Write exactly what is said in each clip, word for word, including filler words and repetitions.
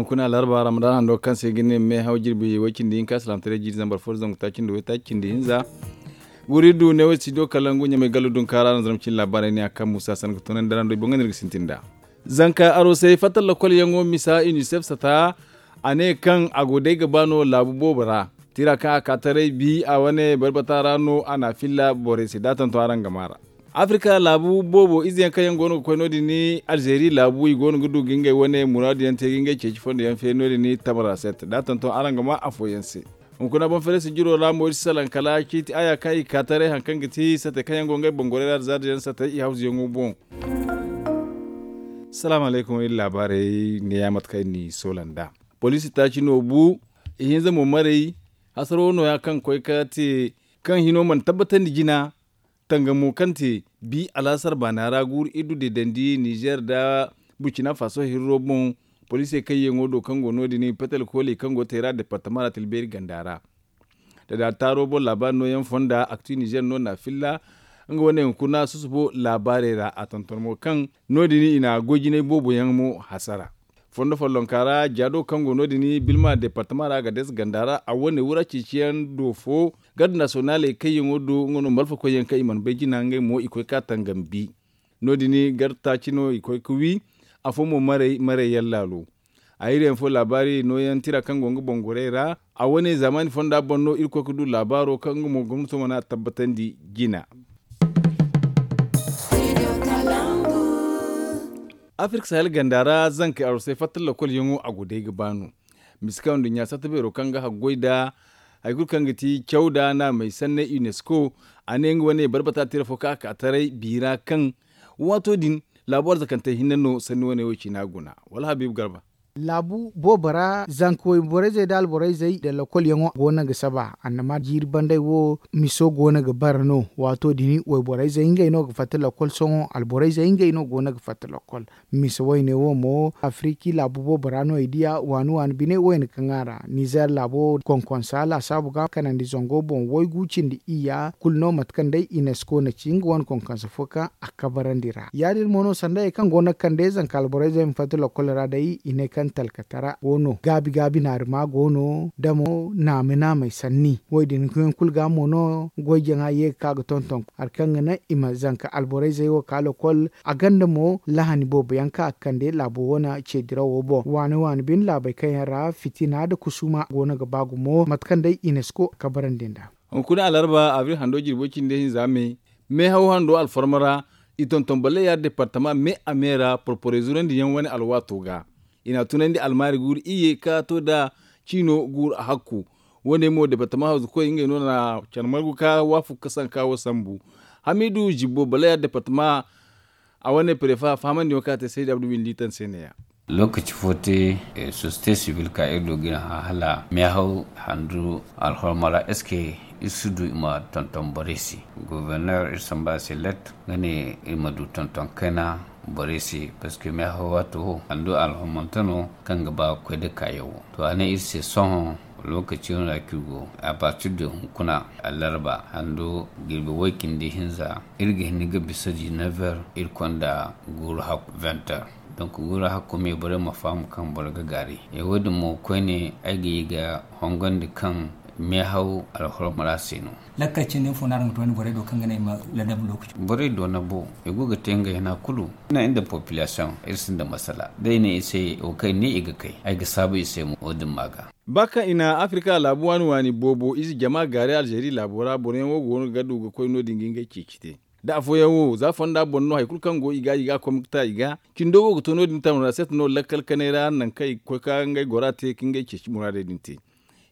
Kuna larba ramadan hando kaŋ se ga ne meehaw jirbi way cindi hinka salaamtaray jiiri zambar fo zangu taaci nda way taaci cindi hinza. Guri du ne way studio kalangu ɲamay gallu dunkaara no zarma cindi laabaarey ne a kaŋ musa san ga tunandi ra nda boŋ ga ne iri ga sintin nd'a. Zanka arosey fatta lokol yaŋo misa unicef sata. A ne kaŋ a go day ga ba no laabu boobo ra. Tira kaŋ a ka taray bi a wane barbata ra no a na a filla borey se da a tonton araŋ ga maa ra. Afirka laabu boobo ize yaŋ kaŋ yaŋ go no ga koy no- din ni alzeeri laabu i go no ga du ga ngey wane muraadu yaŋ te ga ngey ceeci fondo yaŋ feeri no- din ni tamara set da a tonton araŋ ga maa afooyaŋ se. Hunkuna boŋ feere sijiro ra mo iri si salaŋ kala ciiti aya kaŋ i ga ka taray hari kaŋ ga ti sate kaŋ yaŋ go ngey boŋ gorey ra da zaada yaŋ sate i hawzu yaŋo boŋ. Salaamu alaykum iri laabaarey ne ya mate kaŋ iri n'i soola nd'a. Poliisi taaci no bu. Ihinza mo maray. Hasaro no- ya kaŋ koy ka te kaŋ hino mana tabbatandi jina. Tangamo kaŋ te bi alaasar baana ra guuru iri du deedandi nizer nda burkina faso hirro boŋ. Poliisey kaŋ yaŋo do kaŋ go no- din petel kooley kaŋ go teera departama ra tilbeeri ganda ra. Da da taaro boŋ laabaari nooyaŋ fonda akti nizer no na filla. Nga wane hunkuna susubo laabaarey ra a tonton mo kaŋ no- din i na goy jinay boobo yaŋ mo hasara. Fondo follonka ra jaado kaŋ go no- din bilma departama ra agades ganda ra a wane wura ceeciyaŋ do fo. Garde nasiyonaaley kaŋ yaŋo do nga no malfakoy yaŋ kaŋ i mana bay jina ngey mo i koy ka tangam bi. No- din garde taaci no i koy ga wi. Afo mo maray maray yaŋ laalo. A iri yaŋ fo laabaari nooyaŋ tira kaŋ go nga boŋ gorey ra. A wane zaamaani fonda boŋ no iri koy ga du laabaaro kaŋ nga mo gomnato mana tabbatandi jina. Afirka sahel ganda ra zankey arosey fatta lokol yaŋo a go day ga ba no. Misi kaŋ nduɲɲa satta beero kaŋ ga haggoy nda hari kulu kaŋ ga ti caw nda naamey sanney unesco. A ne nga wane barbata tira fo kaŋ a ka taray biira kaŋ waato din laabu arzakantey hinne no sanni wane wo ciina guna wala habiibu garba. Laabu boobo ra zanka wayborey zey nda alborey zey nda lokol yaŋo go no ga saba annama jiiri banday wo miso go no ga bara no. Waato din wayborey zey ngey no ga fatta lokol sohõ alborey zey ngey no go no ga fatta lokol. Mise wayne wo mo afiriki laabu boobo ra no i diya waani waani bine wayne kaŋ a ra nizer laabo konkonsa laasaabu ga kanandi zango boŋ waygu cindi iyya kulu no mate kaŋ day unesco na ci nga wane konkonsa fo kaŋ a kabarandi ra ya- din mo no sanda hari kaŋ go no ga kande zanka alborey zey ma fatta lokol ra day i ne kaŋ talkatara go no gaabi gaabi naarima go no damo naame naamey sanni wo- din yaŋ kulu ga mo no goy jaŋa ye ga ka ga tonton hari kaŋ ga naŋ i ma zanka alborey zey wo ka lokol. A gonda mo lahani boobo yaŋ kaŋ a ga kande laabo wane ce dirawo boŋ waani waani bine laabey kaŋ yaŋ ra fitina nda kusuma go no ga ba gumo mate kaŋ day unesco kabarandi nd'a. Hunkuna alarba abril hando jirbo cindi hinza me meehaw hando alfarma ra i tonton balleya departama me a me ra porporey zurandi yaŋ wane alwaato ga. I n'a tunandi almaari guuru iyye ka to nda ciino guuru a hakku. Wo- ne mo departama hawzukoy ngey no na care margu ka waafaku ka sanka wo sambu. Hamiidu zibbo balleya departama a wane prefa fahamandiyaŋo kaŋ a te saydi abdu windi taŋ se ne- ya. Lookaci fo te sosiyete sibil ka iri do ga iri hã hala meehaw handu alhormo ra est ce que iri si du i ma tonton borey se? Goborner iri samba a se let nga ne iri ma du tonton kayna borey se parce que meehaw waato wo handu alhormonte no kaŋ ga ba ga koy nda kaayaŋ wo to a ne iri se sohõ. Lookaci no ra kaŋ iri go a partir de hunkuna alarba handu jirbi way-cindi hinza iri ga hin ga bisa dix-neuf heures iri konda guuru hakku vingt heures. Donc guuru hakku me borey ma faham kaŋ boro ga gaari e wo- din mo koyne ay ga ye ga hongandi kaŋ meehaw alhormo ra se no. Lakkal cindi fo no araŋ ga to ni borey do kaŋ ga ne i ma ladab lookaci borey do na bo i go ga te ngey hina kulu. Iri nda population iri sinda masala da i ne i se wo kaŋ i ne i ga kay ay ga saabu i se mo wo- din ma ga. Ba kaŋ i na afirika laabu waani waani boobo ize jama gaari alzeeri laabo ra boro yaŋ wo go no ga du ga koy no- din ga ngey ceeci te. Da afooyaŋ wo za fonda boŋ no hari kulu kaŋ go i ga i ga a kom ga ta i ga cindo wo ga to no- din tamara set no lakkal kanay ra nangu kaŋ i ga koy ka ngey gora te ka ngey ceeci muraadey din te.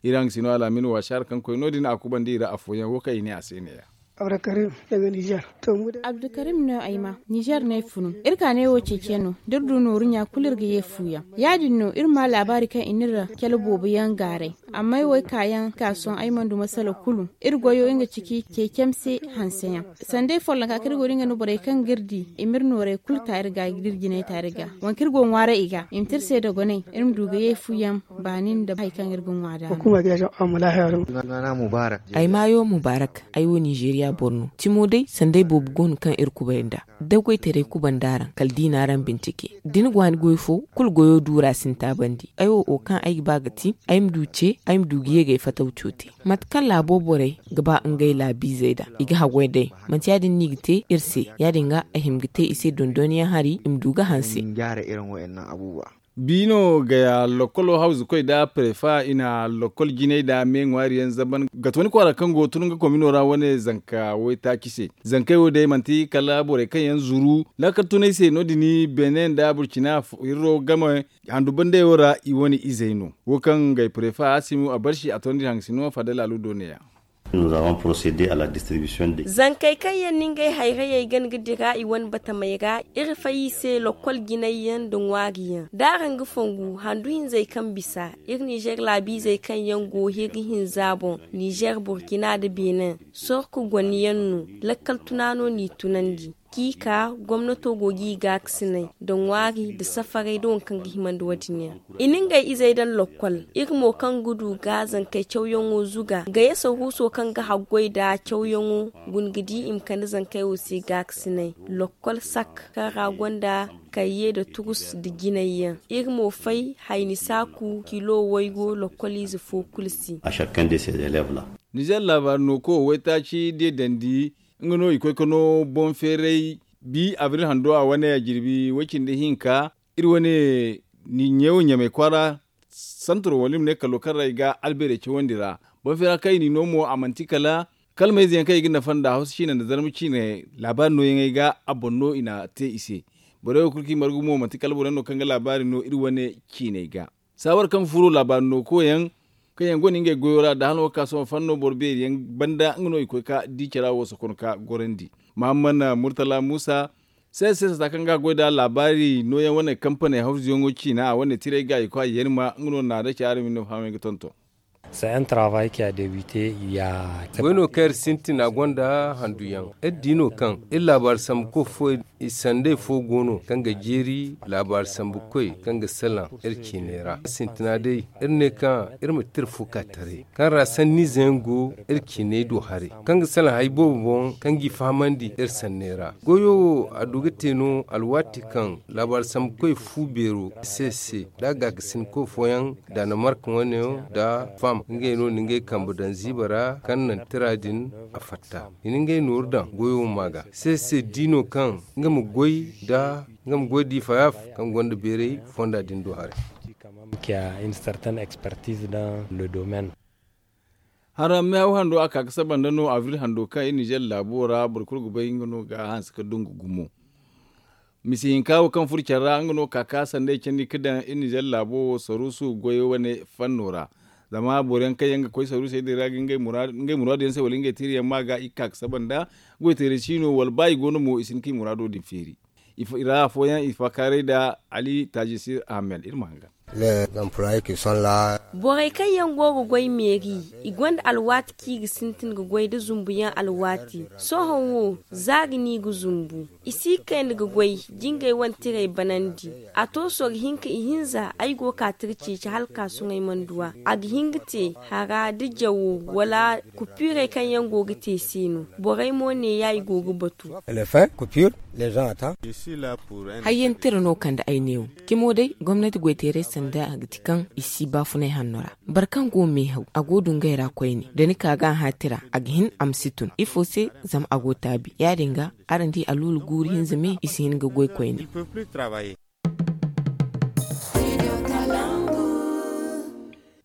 Iri hangasino alaamin waasar kaŋ koy no- din a kubandi i ra afooyaŋ wo kaŋ i ne a se ne- ya. Abdulkarim no ay ma nizer no ay funu. Iri ka ne wo ceeciyaŋ no da iri du nooru ɲa kulu iri ga ye fuuyaŋ. Ya- din no iri ma laabaari kaŋ i na iri cale boobo yaŋ gaaray. Amma ay wo ay kaayaŋ ka sohõ ay mana du masala kulu. Iri goyo nga ciki ceecem se hanseyaŋ. Sanda ay follonka kaŋ iri go da nga no borey kaŋ ga iri di i ma iri noorey kulu ta iri ga da iri jinay ta iri ga. Waŋ kaŋ iri go ga ŋwaaray i ga i ma te iri se dogonay iri ma du ga ye fu yaŋ. Baani nda hari kaŋ iri ga ŋwa da no. Ay maayo mubarak. Ay wo nizeeriya boro no. Cimo day sanda ay boobo go no kaŋ iri kubay nd'a. Da goytaray kubanda araŋ kala da i n'araŋ bincike da ni go a ni goy fo kulu goyo duura sinta bandi. Ay wo wo kaŋ ay ga ba ga ti ay ma du ce ay ma du ga ye ga ay fatawco te. Mate kaŋ laabo borey ga ba ngey laabiizey nd'a i ga haggoy day. Manti ya- din no i ga te iri se. Ya- din ga ay hima ga te i se dondonyaŋ hari i ma du ga hanse. Biino gaya lokkolo hawzukoy nda prefa i na lokkol jinay nda me ŋwaari yaŋ zaban ga tooni kwaara kaŋ go tun nga komino ra wane zanka waytaaci se. Zankey wo day manti kala borey kaŋ yaŋ zuru laakal tunay se no- din beene nda burcina hirro game handu bandayo ra i wane izey no. Wo kaŋ gay prefa asimu a barsi a tondi haŋ sino fadal aludo ne ya. Zankey kaŋ yaŋ na ngey hayrayey gana ga dira i wane batamey ra iri fay i se lokkol jinay yaŋ nda ŋwaari yaŋ da araŋ ga fongu handu hinzey kaŋ bisa iri nizer laabiizey kaŋ yaŋ go hiri hinza boŋ. Nizer burkina nda benin sorku gone yaŋ no. Lakkal tuna no n'i tunandi. Kiika gomnato go g'i gaakasinay nda ŋwaari nda safaray nda waŋ kaŋ ga himandi wo- din yaŋ. I na ngey izey daŋ lokkol. Iri mo kaŋ ga du ga zankey cawyaŋo zuga gayasa huuso kaŋ ga haggoy nda cawyaŋo guna ga di i ma kande zankey wo se gaakasinay. Lokkol sak kaŋ ra gonda kayye nda turus nda jinay yaŋ. Iri mo fay hayni saaku kilo waygo lokkol ize fo kulu se. Nizer laabaari no koy waytaaci de dandi. Nga no i koy ka no boŋ feeray bi abril hando a wane a jirbi way- cindi hinka. Iri wane ɲeewo ɲamay kwaara santuro wala i ma ne kalo kaŋ ra i ga albeerey cawandi ra. Boŋ feera kaŋ i n'i no mo a manti kala kalmayze yaŋ kaŋ i ga nafa nda hawsa ciine nda zarma ciine. Laabaari nooyaŋey ga a boŋ no i n'a te i se. Borey wo kulu kaŋ i margu mo manti kala boro yaŋ no kaŋ ga laabaari no iri wane ciiney ga. Saawar kaŋ furo laabaari no koyaŋ kaŋ yaŋ gonda ngey goyo ra nda hano ga ka sohõ fanno boro beeri yaŋ banda nga no i koy ka di cara wo sokon ka gorandi. Mahammad murtala muusa se se sata kaŋ ga goy nda laabaari nooyaŋ wane kampaney hawzuyaŋo ciina a wane tiray ga i koy a yeeri ma nga no naada ci araŋ ma ni no fahamey ga tonton. Goy no kaŋ iri sintin a gonda handuyaŋ. Iri di no kaŋ iri laabaari sambu koy fo i sandey fo go no kaŋ ga jeeri laabaari sambu koy kaŋ ga salaŋ iri ciiney ra sintina day. Iri ne kaŋ iri ma tira fo ka taray kaŋ ra sanniize yaŋ go iri ciiney do haray kaŋ ga salaŋ hari boobo boŋ kaŋ g'i fahamandi iri sanney ra. Goyo wo a du ga te no alwaati kaŋ laabaari sambu koy fu beero se se da gaakasin koy fooyaŋ danemark wane yaŋ nda fam ngey no na ngey kambe daŋ ziiba ra kaŋ naŋ tira din a fatta i na ngey nooru daŋ goyo ma ga se se di no kaŋ nga ma goy da nga ma goy da i fayaaf kaŋ gonda beeray fonda din do haray. Haramme haw hando a ka ga saba nda no abril hando kaŋ iri nizer laabo ra boro kulu ga bay nga no ga hanse ga dungu gumo. Misi hinka wo kaŋ furo care ra nga no ka ka sanday candi ga daŋ iri nizer laabo wo saruusu goyo wane fanno ra. Zama boro yaŋ kaŋ yaŋ ga koy saruusey din ra ga ngey muraadu yaŋ se wala ngey tiiri yaŋ ma ga i ga ka ga saba nda goy teerey si no wala ba i go no mo i si hin ka i muraado din feeri. I ra afooyaŋ i faakaaray nda ali taajisir ahmed iri ma hanga. Borey kaŋ yaŋ go ga goy meeri i gonda alwaati kaŋ i ga sintin ga goy nda zumbuyaŋ alwaati. Sohõ wo zaari no i ga zumbu. I si kayna ga goy jingay wane tiray banandi. A to sorro hinka ihinza ay go ka tira ceeci hala ka sohõ ay mana du a. A ga hin ga te hara da jawo wala kupiirey kaŋ yaŋ go ga te se no. Borey mo neeya i go ga batu. Hayyaŋ tira no kande ay neewo. Cimo day gomnati goyteeray sanda a ga ti kaŋ i si baafunay hanno ra. Boro kaŋ go meehaw a go dungay ra koyne da ni ka ga a hã tira a ga hin a ma si tun ifo se? Zama a go taabi ya- din ga araŋ di aluula guuru hinza me i si hin ga goy koyne.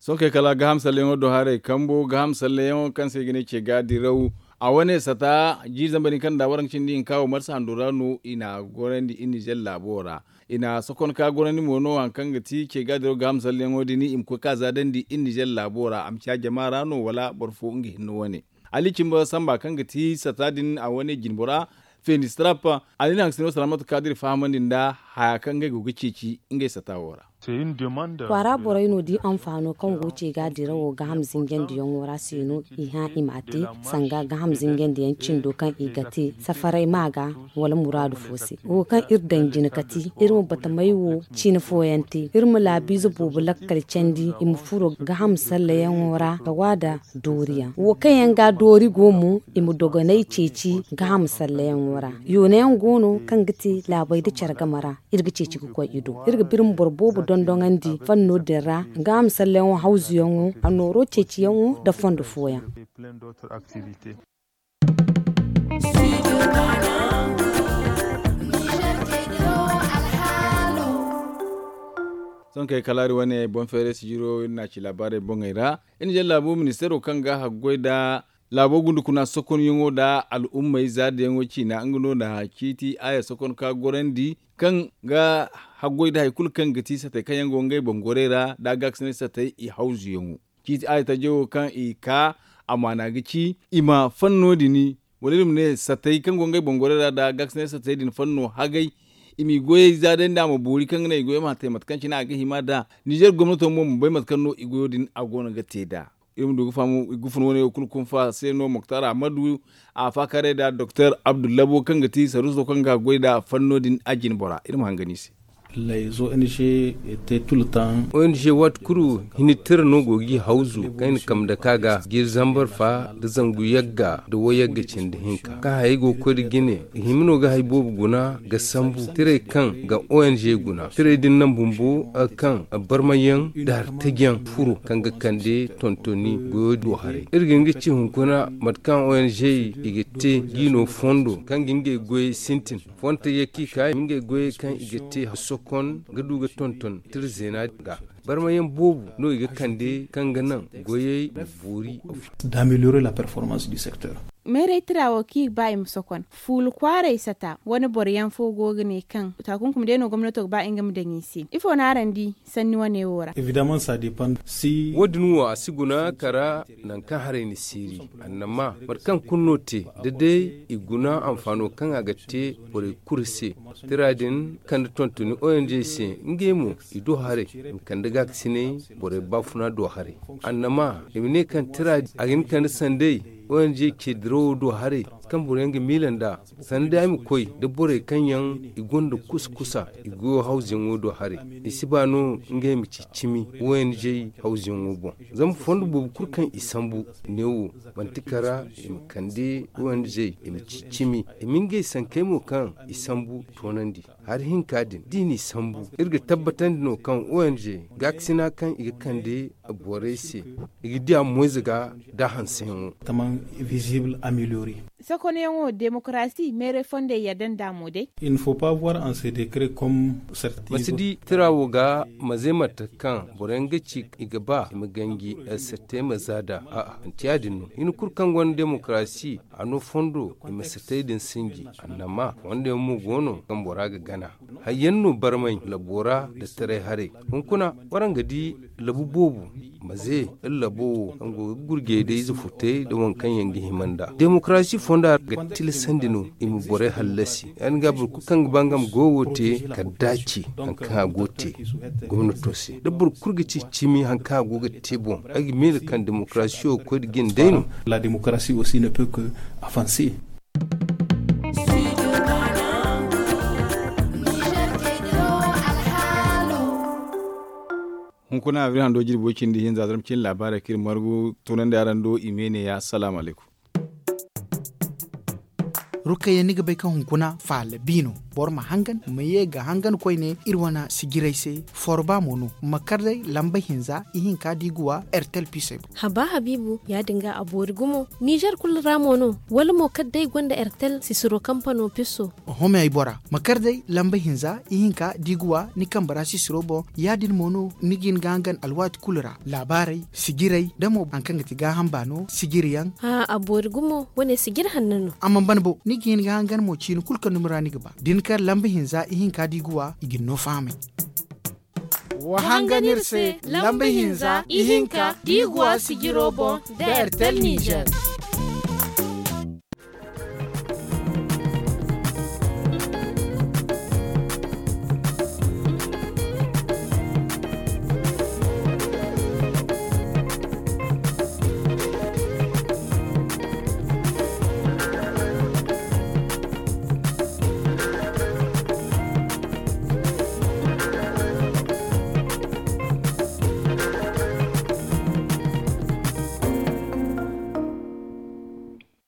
Sohõ kay kala gaaham salleyaŋo do haray kambo gaaham salleyaŋo kaŋ se i ga ne ce ga diraw. A wane sata jiiri zambar din kaŋ nda waranka cindi hinka wo marsa hando ra no i n'a gorandi iri nizer laabo ra. I n'a sokon ka gorandi mo no hari kaŋ ga ti ce ga diraw gaaham salleyaŋo din i ma koy ka zaadandi iri nizer laabo ra a ma ciya jama ra no wala boro fo nga hinne wane. Ali cimba samba kaŋ ga ti sata din a wane jinbora feeni strap. Ali na haŋ sino salaamatu ka dira fahamandi nda haya kaŋ ngey go ga ceeci ngey sata wo ra. Kwaara borey no di anfaano kaŋ go ce ga dirawo gaaham zinjandiyaŋo ra se no i hã i m'a te, sanga gaaham zinjandiyaŋ cindo kaŋ i ga te safaray ma ga wala muraadu fo se. Wo kaŋ iri daŋ jina kati iri ma batamey wo ciine fooyaŋ te, iri ma laabiize boobo lakkal candi i ma furo gaaham sallayaŋo ra ga waada dooriyaŋ wo kaŋ yaŋ ga doori go mo, i ma dogonay ceeci gaaham sallayaŋo ra. Yoonayaŋ go no kaŋ ga te laabey nda care game ra. Iri ga ceeci ga koy i do, iri ga birma boro boobo dondoŋandi fanno din ra. Gaaham sallayaŋo hawzuyaŋo, a nooro ceeciyaŋo nda fondo fooyaŋ. Sohõ kay kala iri wane boŋ feeray sijiro iri n'a ci laabaarey boŋey ra. Iri na jaŋ laabo ministeero kaŋ ga haggoy nda laabo gundukuna sokonyaŋo nda al'ummey zaadayaŋo ciina nga no na ciiti aya sokon ka gorandi kaŋ ga haggoy nda hari kulu kaŋ ga ti satey kaŋ yaŋ go ngey boŋ gorey ra nda gaakasinay satey i hawzuyaŋo. Ciiti aya tajo wo kaŋ i ka amaana ga ci i ma fanno din wala iri ma ne satey kaŋ go ngey boŋ gorey ra nda gaakasinay satey din fanno hagay. I m'i goyey zaadandi a ma boori kaŋ ga naŋ i goyey ma te mate kaŋ cine a ga hima nd'a. Nizer gomnato mo ma bay mate kaŋ no i goyo din a go no ga te nd'a. Iri ma du ga faham i ga fun wane wo kulu kunfa se no moktar ahmadu a faakaray nda doktor abdullabo kaŋ ga ti saruuso kaŋ ga goy nda fanno din a jine bora iri ma hangan i se. Ong waati kulu hini tira no go g'i hawzu kaŋ i na kambe dake a ga jiiri zambar fa nda zangu yagga nda wayagga cindi hinka kaŋ hayey go ga koy nda jine. I hima no ga hari boobo guna ga sambu tirey kaŋ ga ong guna tirey din naŋ bumbo kaŋ barmayyaŋ nda hari tajiyaŋ furo kaŋ ga kande tontoni goyo do haray. Iri ga hin ga ci hunkuna mate kaŋ ong i ga te jiino fondo kaŋ ga ngey goyey sintin fonte ye kaŋ i ka i ma ngey goyey kaŋ i ga te sokon ga du ga tonton tira zeena ga. Barmayaŋ boobo no i ga kande kaŋ ga naŋ goyey ma boori. D'améliorer la performance du secteur. Meeray tira wo kaŋ i ga ba i ma sokon fuula kwaaray sata wane boro yaŋ fo go ga ne kaŋ takunkumi day no gomnato ga ba nga ma daŋ i se ifo no araŋ di sanni wane wo ra? Wo- din wo a si guna kara nangu kaŋ haray na siiri annama mate kaŋ kulu no te da day i guna anfaano kaŋ a ga te borey kulu se. Tira din kande tontoni ong se ngey mo i do haray i ma kande gaakasinay borey baafuna do haray. Annama i ma ne kaŋ tira a ga hin kande sanday ong ce dirawo do haray kaŋ boroyaŋ ga miila nd'a. Sanda ay ma koy da borey kaŋ yaŋ i gonda kusa kusa i goyo hawzuyaŋo do haray i si ba no ngey ma ci cimi ong hawzuyaŋo boŋ. Zama fondo boobo kulu kaŋ i sambu neewo manti kara i ma kande ong i ma ci cimi i ma ngey sankey mo kaŋ i sambu toonandi. Hari hinka din da i n'i sambu iri ga tabbatandi no kaŋ ong gaakasina kaŋ i ga kande borey se i ga diya moyze ga da hanseyaŋo. Sokonyaŋo demokarasi meeray fondey yadda nd'a mo day. Ma si di tira wo ga maze mate kaŋ boroyaŋ ga ci i ga ba i ma ganji satte ma za nd'a. A'a manti ya- din no hina kulu kaŋ gonda demokarasi a no fondo i ma satey din sinji. Annama fondoyaŋ mo go no kaŋ bora ga gana. Hayyaŋ no barmay labo ra nda taray haray. Hunkuna waraŋ ga di labu boobo maze iri labo wo kaŋ go ga gurjey da ize futey nda waŋ kaŋ yaŋ ga hima nd'a demokarasi fonda ga tilasandi no i ma borey hallasi. Ya- din ga boro kulu kaŋ ga ba nga ma goyo wo te kala da a ci hari kaŋ a go ga te gomnato se da boro kulu ga ci cimi hari kaŋ a go ga te boŋ. Ay ga miila kaŋ demokarasiyo ga koy nda jine day no. La demokarasi aussi ne peut que avancer. Hunkuna abril hando jirbi way cindi hinza zarma cine laabaarey kaŋ iri margu tunandi araŋ do i me ne ya salaamu alaykum. Rukayya ni ga bay kaŋ hunkuna faala bi no. Boro ma hangan ma ye ga hangan koyne iri wane sijirey se. Forba mo no ma kar day lamba hinza ihinka da i ga wa ertel pisey boŋ. Haba habiibu ya- din ga a boori gumo. Nizer kulu ra mo no wala mo kala day gonda ertel sisiro kampano piso. Oho me ay bora ma kar day lamba hinza ihinka da i ga wa ni kambe ra sisiro boŋ. Ya- din mo no ni ga hin ga hangan alwaati kulu ra laabaarey sijirey da mo hari kaŋ ga ti gaaham baano sijiriyaŋ. Hã a boori gumo wane sijiri hanno no. A mana ban bo ni ga hin ga hangan mo ciini kulu kaŋ dumi ra ni ga ba da ni kar lamba hinza ihinka da i ga wa i ga ni no fahamay. Wa hangan iri se lamba hinza ihinka da i ga wa sijiro boŋ da ertel nizer.